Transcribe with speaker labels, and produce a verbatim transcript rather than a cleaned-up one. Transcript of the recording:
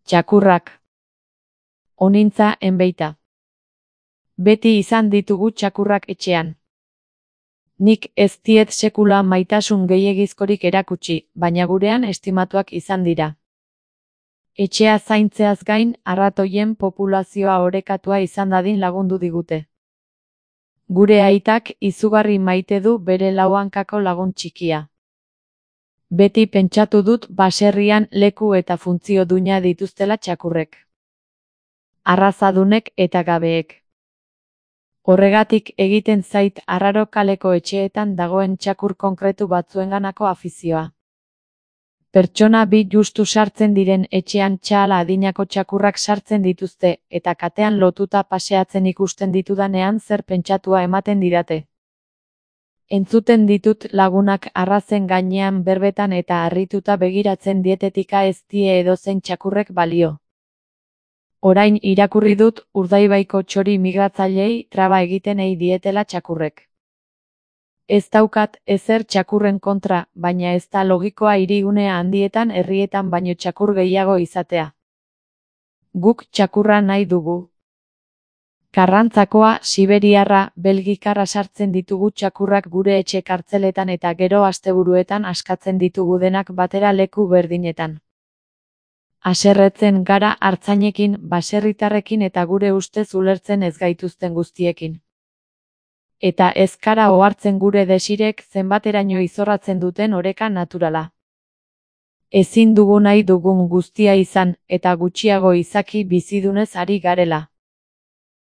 Speaker 1: Txakurrak. Onintza enbeita. Beti izan ditugu txakurrak etxean. Nik ez diet sekula maitasun gehiegizkorik erakutsi, baina gurean estimatuak izan dira. Etxea zaintzeaz gain, arratoien populazioa orekatua izan dadin lagundu digute. Gure aitak izugarri maite du bere lau hankako lagun txikia. Beti pentsatu dut baserrian leku eta funtzio duina dituztela txakurrek. Arrazadunek eta gabeek. Horregatik egiten zait arraro kaleko etxeetan dagoen txakur konkretu batzuenganako afizioa. Pertsona bi justu sartzen diren etxean txala adinako txakurrak sartzen dituzte eta katean lotuta paseatzen ikusten ditudanean zer pentsatua ematen didate. Entzuten ditut lagunak arrazen gainean berbetan eta harrituta begiratzen dietetika ez die edozein txakurrek balio. Orain irakurri dut Urdaibaiko txori migratzailei traba egiten ei dietela txakurrek. Ez daukat ezer txakurren kontra, baina ez da logikoa hirigune handietan herrietan baino txakur gehiago izatea. Guk txakurra nahi dugu. Karrantzakoa, siberiarra, belgikarra sartzen ditugu txakurrak gure etxe kartzeletan eta gero asteburuetan askatzen ditugu denak batera leku berdinetan. Haserretzen gara artzainekin, baserritarrekin eta gure ustez ulertzen ez gaituzten guztiekin. Eta ez gara ohartzen gure desirek zenbateraino izorratzen duten oreka naturala. Ezin dugu nahi dugun guztia izan, eta gutxiago izaki bizidunez ari garela.